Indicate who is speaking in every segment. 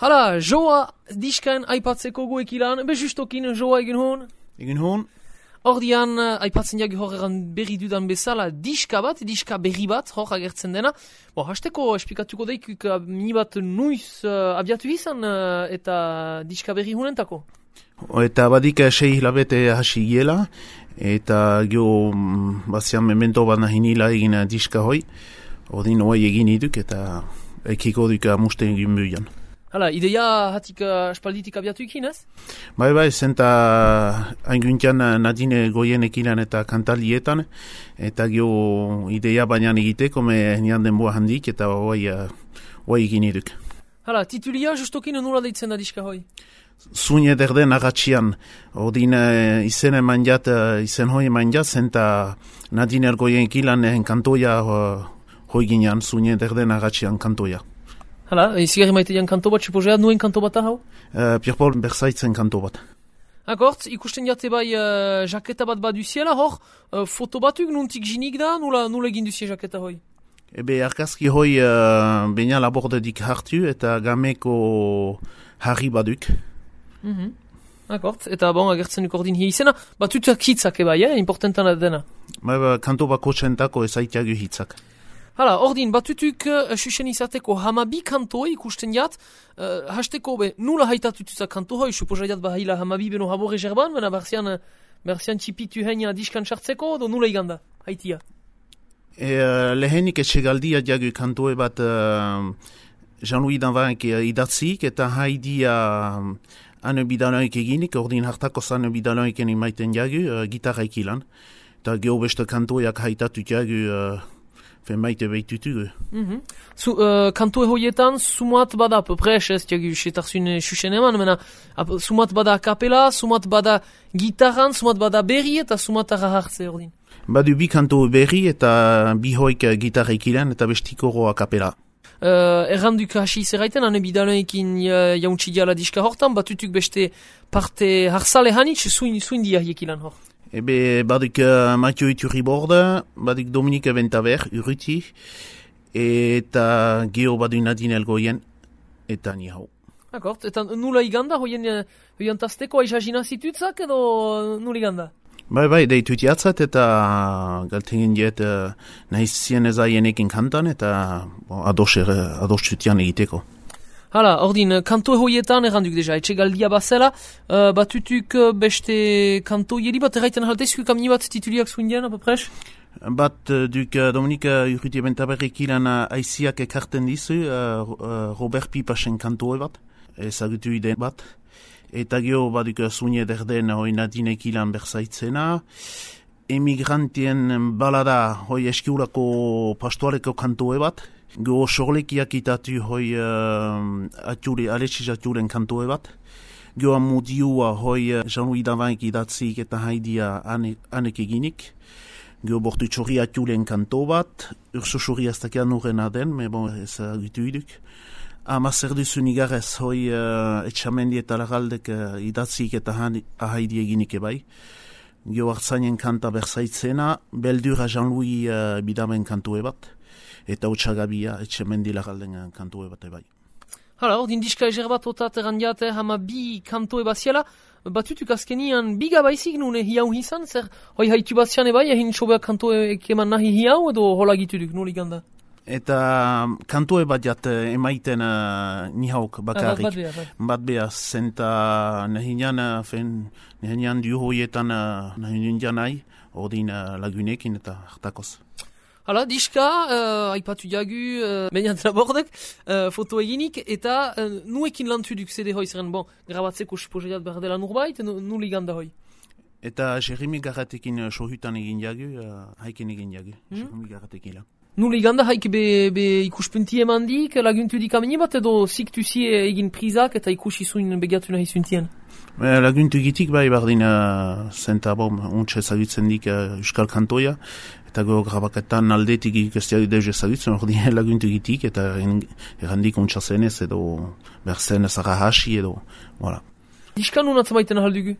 Speaker 1: Hala, joa diskan aipatzeko guekilan, justokin joa egin hon.
Speaker 2: Egin hon.
Speaker 1: Ordian, aipatzen jagi horregan berri dudan bezala, diska berri bat, hor agertzen dena. Hasteko esplikatuko daikuk minibat nuiz abiatu izan eta diska berri hunentako.
Speaker 2: Eta badik 6 hilabete hasi giela, eta gio bazian memento bat nahinila egin diska hoi. Ordin hoi egin iduk eta ekiko duk amuste egin buian.
Speaker 1: Hala, ideia hatik espalditik abiatu ikin, ez?
Speaker 2: Bai, zenta ainguntian Nadine goien ekilan eta kantalietan, eta gio ideia baina egiteko me nian denboa handik, eta hoi egin iduk.
Speaker 1: Hala, titulia justokin nola deitzen da diska hoi?
Speaker 2: Zuin ederden agatxian, ordin izen hoi eman jat, zenta Nadine goien ekilan kantoia hoi ginean, zuin ederden agatxian kantoia.
Speaker 1: Hala, izigarri maite jan kanto bat, suposeat nuen kanto bat hau?
Speaker 2: Pierre-Paul Bersaitzen kanto bat.
Speaker 1: Akort, ikusten jate bai jaketa bat baduziela, hor, foto batuk nuntik jinik da, nula egin duzie jaketa hoi?
Speaker 2: Ebe, arkazki hoi baina labordedik hartu eta gameko harri baduk.
Speaker 1: Akort, eta agertzen duk ordin hi izena, batutak hitzak ebai, importantana dena.
Speaker 2: Kanto bako txentako ezaitiagu hitzak.
Speaker 1: Hala, ordin, batutuk susen izateko hamabi kanto ikusten jat, hasteko nula haitatutuzak kanto hoi, suposa jat bahila hamabi beno habore jerban, bena berzian txipitu heina diskan sartzeko, do nula iganda, haitia.
Speaker 2: Lehenik etxegaldia jagu kantoe bat Jean-Louis Danvanek idatzik, eta haidia ane bidaloik eginik, ordin hartako zane bidaloik maiten jagu, gitarra ikilan, eta geho beste kantoeak haitatut jagu, maite behitutugu.
Speaker 1: Kantoe hoietan, sumat bada, pepres, ez jagu setarzun susen eman, mena, sumat bada kapela, sumat bada gitarran, sumat bada berri eta sumat arra hartze ordin.
Speaker 2: Badu bi kanto berri eta bi hoik gitarra ikilan eta bestiko roa kapela.
Speaker 1: Erranduk hasi zerraiten, ane bidaloekin jauntsi diala diska hortan, batutuk beste parte harsale hanitz, zuin dia hiekilan hor.
Speaker 2: Ebe, baduk Mathieu Iturriborde, baduk Dominique Ventaver, Urruti, eta geho badu Nadine Elgoien, eta ni hau.
Speaker 1: Akort, eta nula iganda, hoien tazteko aizazina zitutzak edo nula iganda?
Speaker 2: Bai, deitut jatzat eta galtingen diet nahiz zien ezaienekin kantan eta adostutian egiteko.
Speaker 1: Hala, ordin, kanto hoietan erranduk deja, etxegaldia bazela, batutuk beste kanto jeri bat erraiten haltezku kamini bat tituliak zuen apapres?
Speaker 2: Bat duk Dominik Urruti Bentaberrik ilan aiziak ekarten dizu, Robert Pipasen kantoe bat, ezagutu iden bat, eta geho baduk zuen ederden hoi Nadinek ilan berzaitzena, emigrantien balada hoi eskiulako pastoaleko kantoe bat, geho sorlekiak itatu hoi Alexiz Aturen kantoe bat, geho amudiua hoi Jean-Louis Danvanek idatzik eta haidia anek eginik, geho bortu txorri Aturen kanto bat, urso txorri aztakean urrena den, me ez agutu iduk. Zer duzun igarrez hoi etxamendi eta lagaldek idatzik eta haidi eginik ebai. Geho hartzainen kanta berzaitzena, beldura Jean-Louis bidamen kantoe bat, eta utxagabia etxamendi lagalden kantoe bat ebai.
Speaker 1: Hala, ordin diska ezer bat otat errandiate hama bi kantoe baziala, batutuk azkenian biga baizik nune hiau hizan, zer hoi haitu bazian ebai, egin sobeak kantoe ekeman nahi hiau edo hola gituduk, nuli ganda?
Speaker 2: Eta kantoe bat jat emaiten nihauk bakarrik. Bat beha, zenta nehinean du hoietan nehinean nahi, ordin lagunekin eta hartakoz.
Speaker 1: Hala, diska, aipatu jagu, bainat labordek, foto eginik, eta nuekin lantuduk zede hoi zeren, grabatzeko suposeat behar dela nurbait, nuli ganda hoi?
Speaker 2: Eta Jeremy Garratekin sohutan egin jagu, haiken egin jagu, Jeremy Garratekin la.
Speaker 1: Nuli ganda haik be ikuspunti emandik, laguntudik amini bat edo ziktuzie egin prizak eta ikusi zuen begatu nahi zuntien?
Speaker 2: Laguntu egitik bai bardin zenta untxe ezagutzen dik euskal kantoia, eta go grabaketan aldetik ikestia deus ezagutzen, ordin laguntu egitik eta errandik untxa zenez edo berzen ezara hasi edo, voilà.
Speaker 1: Diskan unatzen baiten ahaldugu?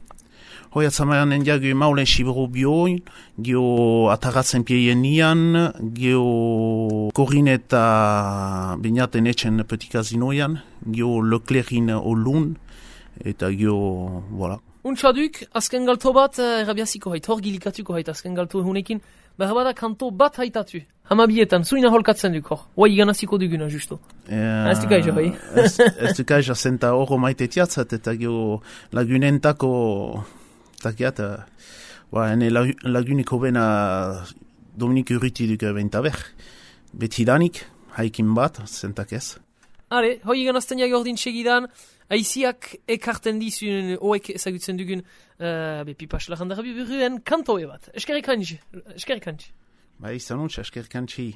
Speaker 2: Hoi atzamaianen jagu maulen sibero bioin, gio atagatzen pieien nian, gio korin eta binaten etxen petit casinoian, gio Leclerc'in olun, eta gio, voilà.
Speaker 1: Untsaduk, azken galto bat, errabiaziko hait, hor gilikatuko hait azken galto hunekin, behar kanto bat haitatu. Hamabietan, zuina holkatzen duk hor. Hoi ganaziko duguna, justo. Ez du kaija, hoi?
Speaker 2: Ez du kaija, zenta horro maite tiatzat, eta gio lagunentako, takiat, ene laguniko bena Dominik Urruti duk bentaber. Betidanik, haikin bat, zentak ez.
Speaker 1: Hale, hoi ganazten jak ordin segidan, aiziak ekarten dizun, oek ezagutzen dugun, pipas lagandara biburuen kantoe bat. Eskerrik hantzi.
Speaker 2: Ba, izan untsa, eskerrik hantzi.